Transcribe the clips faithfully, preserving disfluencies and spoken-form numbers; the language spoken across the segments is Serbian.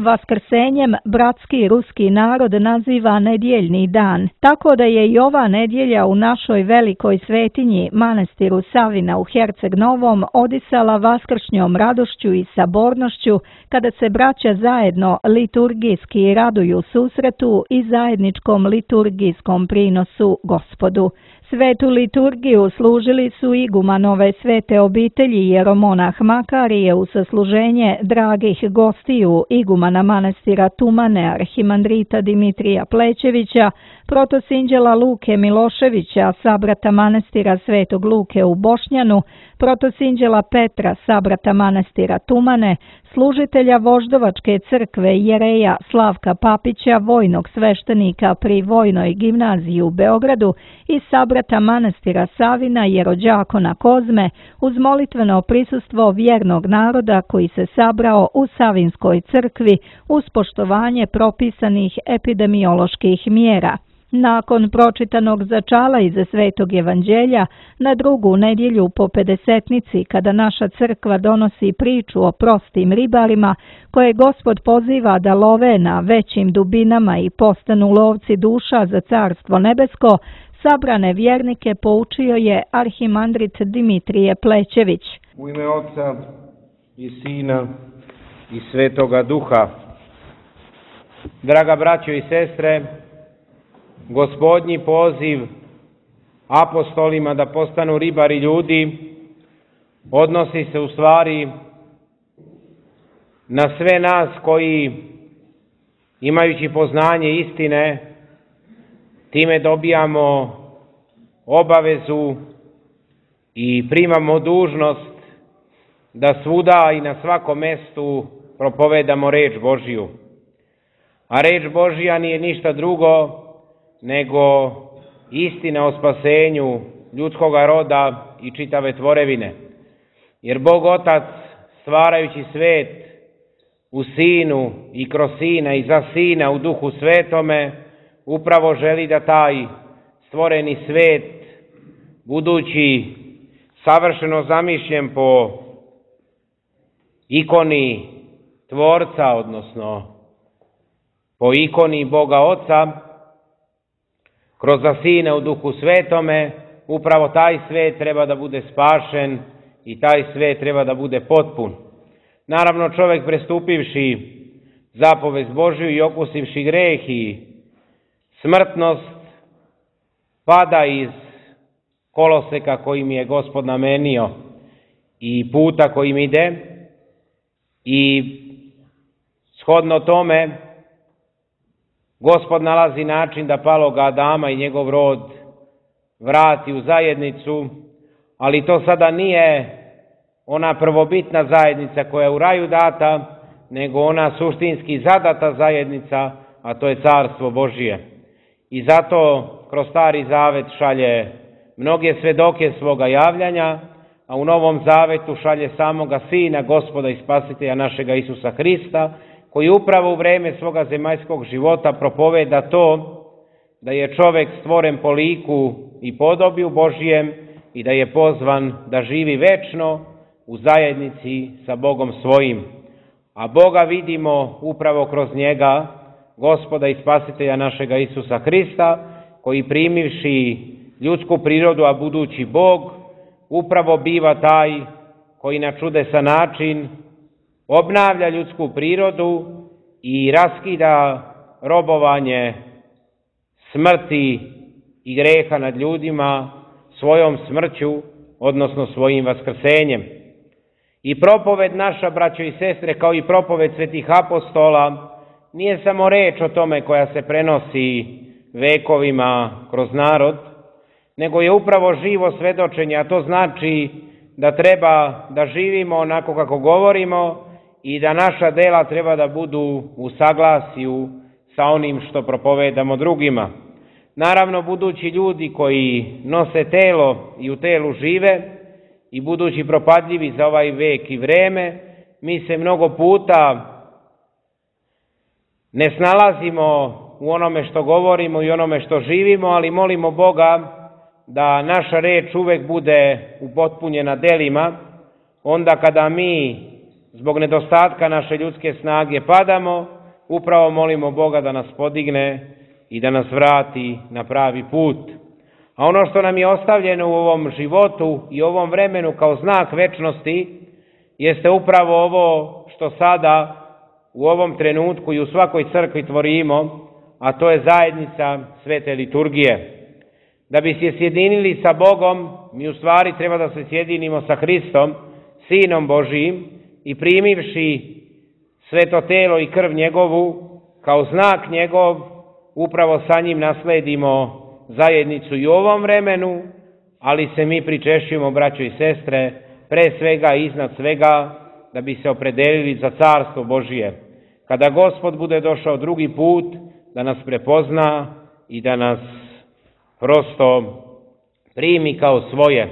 Vaskrsenjem bratski ruski narod naziva nedjeljni dan, tako da je i ova nedjelja u našoj velikoj svetinji, manastiru Savina u Herceg Novom, odisala vaskršnjom radošću i sabornošću, kada se braća zajedno liturgijski raduju susretu i zajedničkom liturgijskom prinosu Gospodu. Svetu liturgiju služili su igumanove svete obitelji jeromonah Makarije u sasluženje dragih gostiju igumana manastira Tumane arhimandrita Dimitrija Plećevića, protosinđela Luke Miloševića, sabrata manastira Svetog Luke u Bošnjanu, protosinđela Petra, sabrata manastira Tumane, služitelja Voždovačke crkve jereja Slavka Papića, vojnog sveštenika pri Vojnoj gimnaziji u Beogradu i sabrata manastira Savina jerođakona Kozme, uz molitveno prisustvo vjernog naroda koji se sabrao u Savinskoj crkvi uz poštovanje propisanih epidemioloških mjera. Nakon pročitanog začala iz Svetog evanđelja, na drugu nedjelju po pedesetnici, kada naša crkva donosi priču o prostim ribarima, koje Gospod poziva da love na većim dubinama i postanu lovci duša za Carstvo nebesko, sabrane vjernike poučio je arhimandrit Dimitrije Plećević. U ime Oca i Sina i Svetoga Duha. Draga braćo i sestre, Gospodnji poziv apostolima da postanu ribari ljudi odnosi se u stvari na sve nas koji, imajući poznanje istine, time dobijamo obavezu i primamo dužnost da svuda i na svakom mestu propovedamo reč Božiju. A reč Božija nije ništa drugo nego istina o spasenju ljudskoga roda i čitave tvorevine. Jer Bog Otac, stvarajući svet u Sinu i kroz Sina i za Sina u Duhu Svetome, upravo želi da taj stvoreni svet, budući savršeno zamišljen po ikoni Tvorca, odnosno po ikoni Boga Oca, kroz Sina u Duhu Svetome, upravo taj svet treba da bude spašen i taj svet treba da bude potpun. Naravno, čovjek prestupivši zapovest Božju i okusivši greh i smrtnost, pada iz koloseka kojim je Gospod namenio i puta kojim ide, i shodno tome Gospod nalazi način da paloga Adama i njegov rod vrati u zajednicu, ali to sada nije ona prvobitna zajednica koja je u raju data, nego ona suštinski zadata zajednica, a to je Carstvo Božije. I zato kroz Stari Zavet šalje mnoge svedoke svoga javljanja, a u Novom Zavetu šalje samoga Sina, Gospoda i Spasitelja našega Isusa Hrista, koji upravo u vreme svoga zemaljskog života propoveda to da je čovjek stvoren po liku i podobiju Božijem i da je pozvan da živi večno u zajednici sa Bogom svojim. A Boga vidimo upravo kroz njega, Gospoda i Spasitelja našega Isusa Hrista, koji primivši ljudsku prirodu, a budući Bog, upravo biva taj koji na čudesan način obnavlja ljudsku prirodu i raskida robovanje smrti i greha nad ljudima svojom smrću, odnosno svojim vaskrsenjem. I propoved naša, braćo i sestre, kao i propoved svetih apostola, nije samo reč o tome koja se prenosi vekovima kroz narod, nego je upravo živo svedočenje, a to znači da treba da živimo onako kako govorimo i da naša dela treba da budu u saglasju sa onim što propovedamo drugima. Naravno, budući ljudi koji nose telo i u telu žive i budući propadljivi za ovaj vek i vreme, mi se mnogo puta ne snalazimo u onome što govorimo i onome što živimo, ali molimo Boga da naša reč uvek bude upotpunjena delima, onda kada mi zbog nedostatka naše ljudske snage padamo, upravo molimo Boga da nas podigne i da nas vrati na pravi put. A ono što nam je ostavljeno u ovom životu i ovom vremenu kao znak večnosti jeste upravo ovo što sada u ovom trenutku i u svakoj crkvi tvorimo, a to je zajednica svete liturgije. Da bi se sjedinili sa Bogom, mi u stvari treba da se sjedinimo sa Hristom, Sinom Božijim, i primivši sveto telo i krv njegovu, kao znak njegov, upravo sa njim nasledimo zajednicu i u ovom vremenu, ali se mi pričešćujemo, braćo i sestre, pre svega i iznad svega, da bi se opredelili za carstvo Božije. Kada Gospod bude došao drugi put, da nas prepozna i da nas prosto primi kao svoje.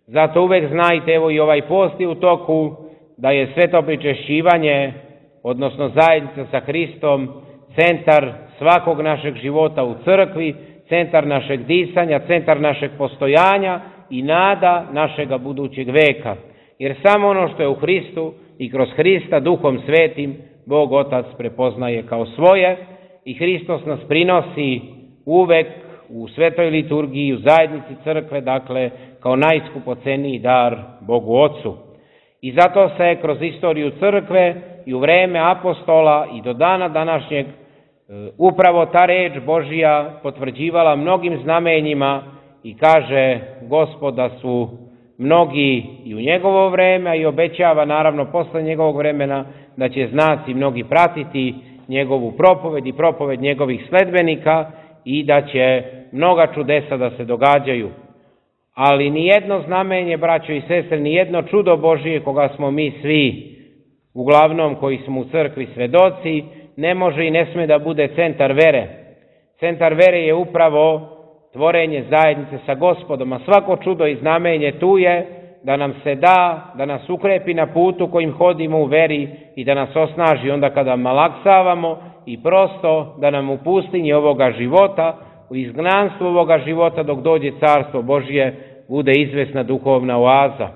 Zato uvek znajte, evo i ovaj post je u toku, da je sveto pričešćivanje, odnosno zajednica sa Hristom, centar svakog našeg života u crkvi, centar našeg disanja, centar našeg postojanja i nada našega budućeg veka. Jer samo ono što je u Hristu i kroz Hrista Duhom Svetim Bog Otac prepoznaje kao svoje i Hristos nas prinosi uvek u svetoj liturgiji, u zajednici crkve, dakle kao najskupoceniji dar Bogu Ocu. I zato se kroz istoriju crkve i u vreme apostola i do dana današnjeg upravo ta reč Božija potvrđivala mnogim znamenjima i kaže Gospod da su mnogi i u njegovo vreme, a i obećava naravno posle njegovog vremena da će znaci mnogi pratiti njegovu propoved i propoved njegovih sledbenika i da će mnoga čudesa da se događaju. Ali nijedno znamenje, braćo i sestre, nijedno čudo Božije koga smo mi svi, uglavnom koji smo u crkvi svedoci, ne može i ne sme da bude centar vere. Centar vere je upravo tvorenje zajednice sa Gospodom, a svako čudo i znamenje tu je da nam se da, da nas ukrepi na putu kojim hodimo u veri i da nas osnaži onda kada malaksavamo i prosto da nam u pustinji ovoga života, u izgnanstvu ovoga života dok dođe carstvo Božje, bude izvesna duhovna oaza.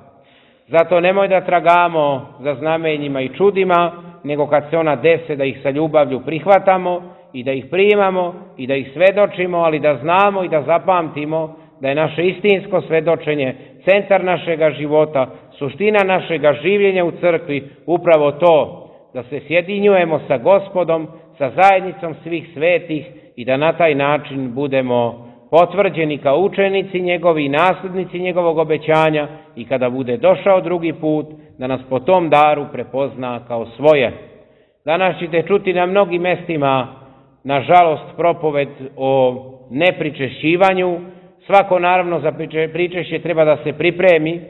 Zato nemoj da tragamo za znamenjima i čudima, nego kad se ona dese da ih sa ljubavlju prihvatamo i da ih primamo i da ih svedočimo, ali da znamo i da zapamtimo da je naše istinsko svedočenje centar našega života, suština našega življenja u crkvi, upravo to, da se sjedinjujemo sa Gospodom, sa zajednicom svih svetih i da na taj način budemo potvrđeni kao učenici njegovi i naslednici njegovog obećanja i kada bude došao drugi put, da nas po tom daru prepozna kao svoje. Danas ćete čuti na mnogim mestima, nažalost, propoved o nepričešćivanju. Svako naravno za pričešće treba da se pripremi,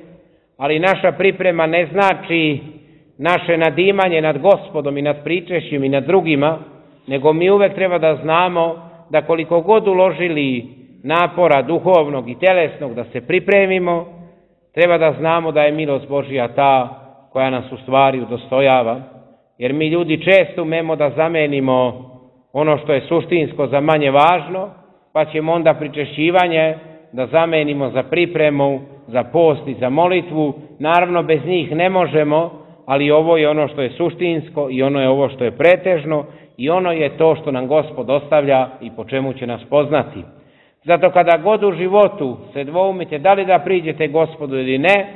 ali naša priprema ne znači naše nadimanje nad Gospodom i nad pričešćem i nad drugima, nego mi uvek treba da znamo da koliko god uložili napora duhovnog i telesnog da se pripremimo, treba da znamo da je milost Božja ta koja nas u stvari udostojava, jer mi ljudi često umemo da zamenimo ono što je suštinsko za manje važno, pa ćemo onda pričešćivanje da zamenimo za pripremu, za post i za molitvu. Naravno, bez njih ne možemo, ali ovo je ono što je suštinsko i ono je ovo što je pretežno i ono je to što nam Gospod ostavlja i po čemu će nas poznati. Zato kada god u životu se dvoumite da li da priđete Gospodu ili ne,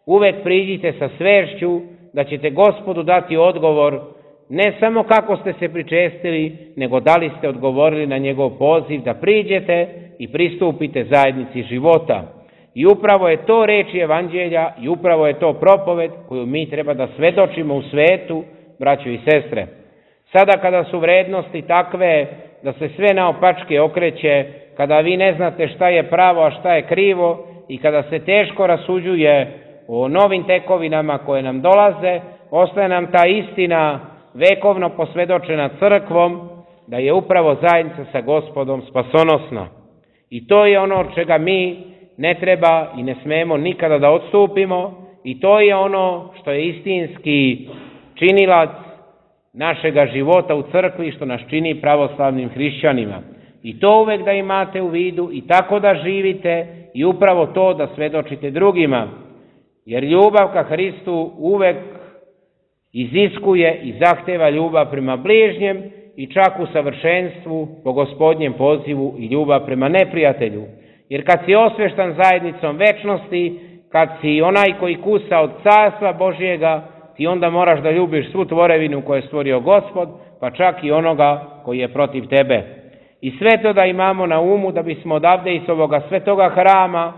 uvek priđite sa svešću da ćete Gospodu dati odgovor ne samo kako ste se pričestili, nego da li ste odgovorili na njegov poziv da priđete i pristupite zajednici života. I upravo je to reč evanđelja i upravo je to propoved koju mi treba da svedočimo u svetu, braćo i sestre. Sada kada su vrednosti takve da se sve naopačke okreće, kada vi ne znate šta je pravo, a šta je krivo i kada se teško rasuđuje o novim tekovinama koje nam dolaze, ostaje nam ta istina vekovno posvedočena crkvom, da je upravo zajednica sa Gospodom spasonosna. I to je ono od čega mi ne treba i ne smemo nikada da odstupimo i to je ono što je istinski činilac našega života u crkvi, što nas čini pravoslavnim hrišćanima. I to uvek da imate u vidu i tako da živite i upravo to da svedočite drugima. Jer ljubav ka Hristu uvek iziskuje i zahteva ljubav prema bližnjem i čak u savršenstvu po Gospodnjem pozivu i ljubav prema neprijatelju. Jer kad si osveštan zajednicom večnosti, kad si onaj koji kusa od carstva Božjega, ti onda moraš da ljubiš svu tvorevinu koju je stvorio Gospod, pa čak i onoga koji je protiv tebe. I sve to da imamo na umu da bismo odavde iz ovoga svetoga hrama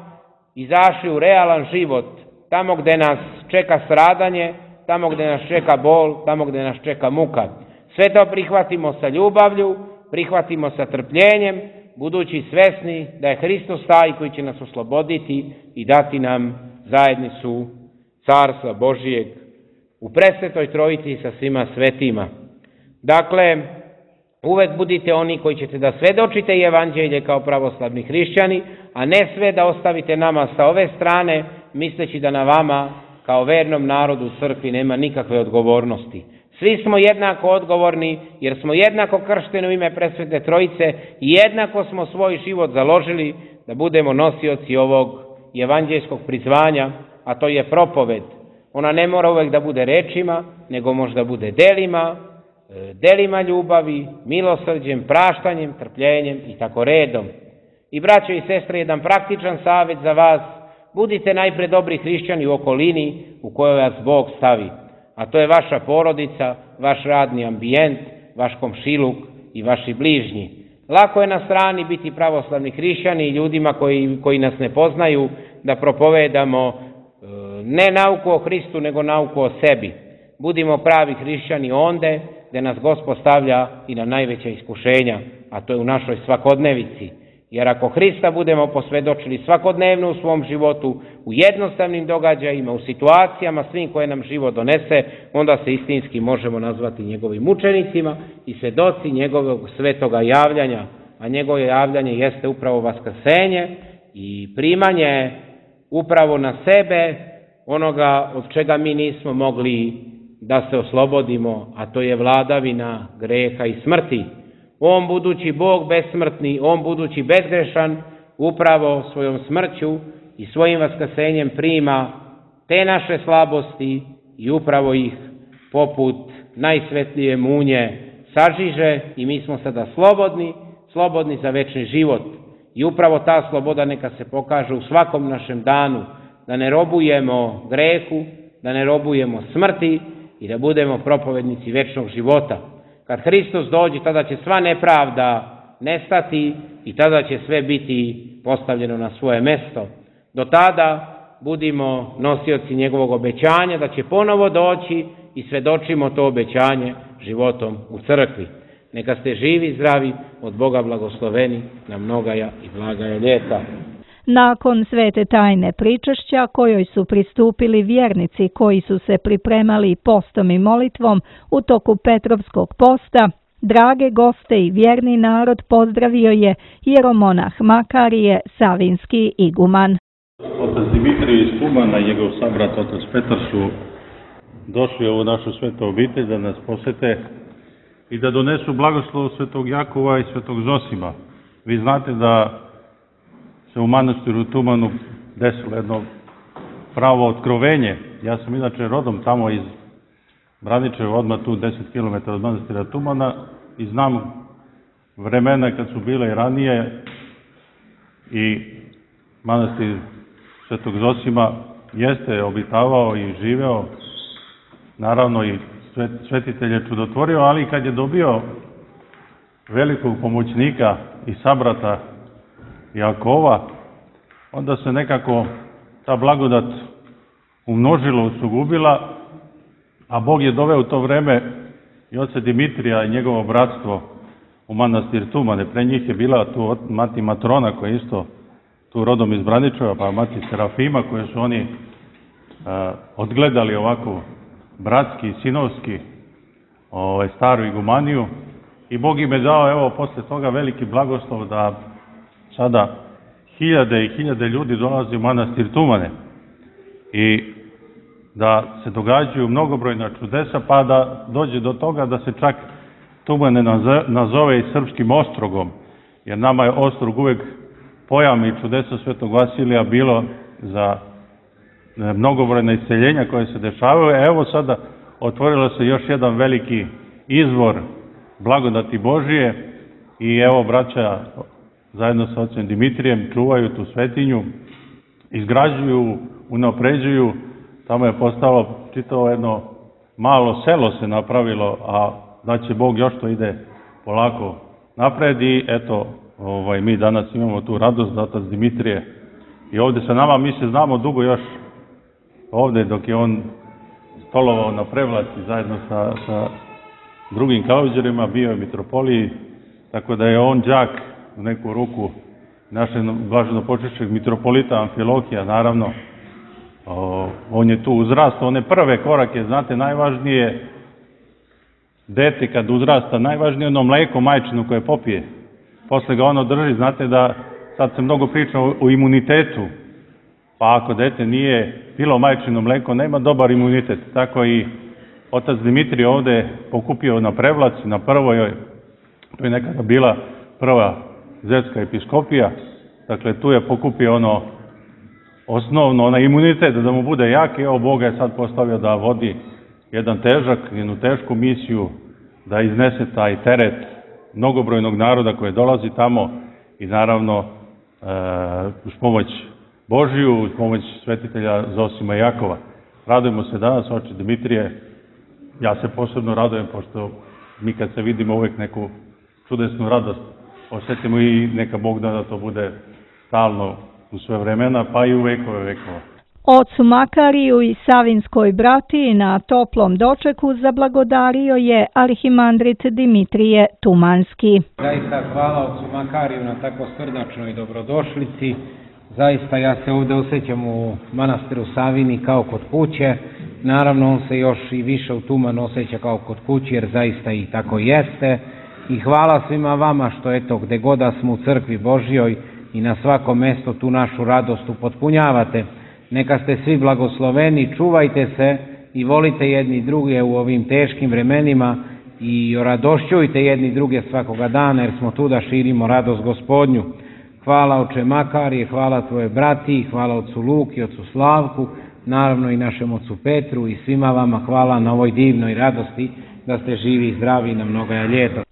izašli u realan život, tamo gde nas čeka stradanje, tamo gde nas čeka bol, tamo gde nas čeka muka. Sve to prihvatimo sa ljubavlju, prihvatimo sa trpljenjem, budući svesni da je Hristos taj koji će nas osloboditi i dati nam zajednicu Carstva Božijeg u presvetoj Trojici sa svima svetima. Dakle, uvek budite oni koji ćete da svedočite evanđelje kao pravoslavni hrišćani, a ne sve da ostavite nama sa ove strane, misleći da na vama kao vernom narodu u crkvi nema nikakve odgovornosti. Svi smo jednako odgovorni, jer smo jednako kršteni u ime presvete Trojice i jednako smo svoj život založili da budemo nosioci ovog evanđeljskog prizvanja, a to je propoved. Ona ne mora uvek da bude rečima, nego možda bude delima, delima ljubavi, milosrđem, praštanjem, trpljenjem i tako redom. I braćo i sestre, jedan praktičan savjet za vas, budite najpre dobri hrišćani u okolini u kojoj vas Bog stavi, a to je vaša porodica, vaš radni ambijent, vaš komšiluk i vaši bližnji. Lako je na strani biti pravoslavni hrišćani i ljudima koji, koji nas ne poznaju da propovedamo ne nauku o Hristu, nego nauku o sebi. Budimo pravi hrišćani onde gde nas Gospod stavlja i na najveća iskušenja, a to je u našoj svakodnevici. Jer ako Hrista budemo posvedočili svakodnevno u svom životu, u jednostavnim događajima, u situacijama svim koje nam život donese, onda se istinski možemo nazvati njegovim učenicima i svedoci njegovog svetoga javljanja, a njegovo javljanje jeste upravo vaskrsenje i primanje upravo na sebe onoga od čega mi nismo mogli da se oslobodimo, a to je vladavina greha i smrti. On budući Bog besmrtni, on budući bezgrešan, upravo svojom smrću i svojim vaskrsenjem prima te naše slabosti i upravo ih poput najsvetlije munje sažiže i mi smo sada slobodni, slobodni za večni život. I upravo ta sloboda neka se pokaže u svakom našem danu, da ne robujemo grehu, da ne robujemo smrti i da budemo propovednici večnog života. Kad Hristos dođe, tada će sva nepravda nestati i tada će sve biti postavljeno na svoje mesto. Do tada budimo nosioci njegovog obećanja da će ponovo doći i svedočimo to obećanje životom u crkvi. Neka ste živi i zdravi, od Boga blagosloveni na mnogaja i blagaja ljeta. Nakon svete tajne pričešća, kojoj su pristupili vjernici koji su se pripremali postom i molitvom u toku Petrovskog posta, drage goste i vjerni narod pozdravio je hieromonah Makarije, savinski iguman. Otac Dimitrije iz Tumana i njegov sabrat otac Petar su došli u ovu našu svetu obitelj da nas posete i da donesu blagoslov svetog Jakova i svetog Zosima. Vi znate da se u manastiru Tumanu desilo jedno pravo otkrovenje. Ja sam inače rodom tamo iz Braničeva, odmah tu deset kilometara od manastira Tumana, i znam vremena kad su bile i ranije i manastir svetog Zosima jeste obitavao i živeo, naravno i svetitelj je čudotvorio, ali kad je dobio velikog pomoćnika i sabrata Jakova, onda se nekako ta blagodat umnožila, usugubila, a Bog je doveo u to vreme i oca Dimitrija i njegovo bratstvo u manastir Tumane. Pre njih je bila tu mati Matrona, koja je isto tu rodom iz Braničeva, pa mati Serafima, koje su oni a, odgledali ovako bratski, sinovski, ovaj, staru igumaniju, i Bog im je dao, evo, posle toga veliki blagoslov da sada hiljade i hiljade ljudi dolazi u manastir Tumane i da se događaju mnogobrojna čudesa, pa da dođe do toga da se čak Tumane nazove i srpskim ostrogom, jer nama je ostrog uvek pojam i čudesa svetog Vasilija bilo za mnogobrojna isceljenja koje se dešavaju. Evo sada otvorilo se još jedan veliki izvor blagodati Božije i evo braća zajedno sa ocem Dimitrijem čuvaju tu svetinju, izgrađuju, unapređuju, tamo je postalo čitavo jedno malo selo se napravilo, a da će Bog još to ide polako napred i eto, ovaj, mi danas imamo tu radost da otac Dimitrije i ovdje sa nama, mi se znamo dugo još ovdje dok je on stolovao na Prevlaci zajedno sa, sa drugim kauđerima, bio je mitropoliji, tako da je on đak u neku ruku našeg blaženopočivšeg mitropolita Amfilohija, naravno. O, on je tu uzrastao, one prve korake, znate, najvažnije dete kad uzrasta, najvažnije ono mleko majčino koje popije. Posle ga ono drži, znate da sad se mnogo priča o, o imunitetu, pa ako dete nije pilo majčino mleko, nema dobar imunitet. Tako i otac Dimitrije ovde pokupio na Prevlaci, na prvoj, to je nekada bila prva zetska episkopija, dakle tu je pokupio ono osnovno, onaj imunitet da mu bude jak i evo Bog je sad postavio da vodi jedan težak, jednu tešku misiju, da iznese taj teret mnogobrojnog naroda koje dolazi tamo i naravno e, uz pomoć Božiju, uz pomoć svetitelja Zosima i Jakova. Radujemo se danas, oče Dimitrije, ja se posebno radujem pošto mi kad se vidimo uvijek neku čudesnu radost osjetimo i neka Bog da, da to bude stalno u sve vremena, pa i u vekove vekova. Ocu Makariju i Savinskoj bratiji na toplom dočeku zablagodario je arhimandrit Dimitrije Tumanski. Zaista hvala ocu Makariju na tako srdačnoj dobrodošlici. Zaista ja se ovdje osjećam u manastiru Savini kao kod kuće. Naravno on se još i više u Tumanu osjeća kao kod kuće jer zaista i tako jeste. I hvala svima vama što eto gde god da smo u crkvi Božjoj i na svakom mjestu tu našu radost upotpunjavate. Neka ste svi blagosloveni, čuvajte se i volite jedni druge u ovim teškim vremenima i oradošćujte jedni druge svakoga dana jer smo tu da širimo radost Gospodnju. Hvala oče Makarije, hvala tvoje brati, hvala ocu Luki, ocu Slavku, naravno i našem ocu Petru i svima vama hvala na ovoj divnoj radosti da ste živi i zdravi na mnoga ljeta.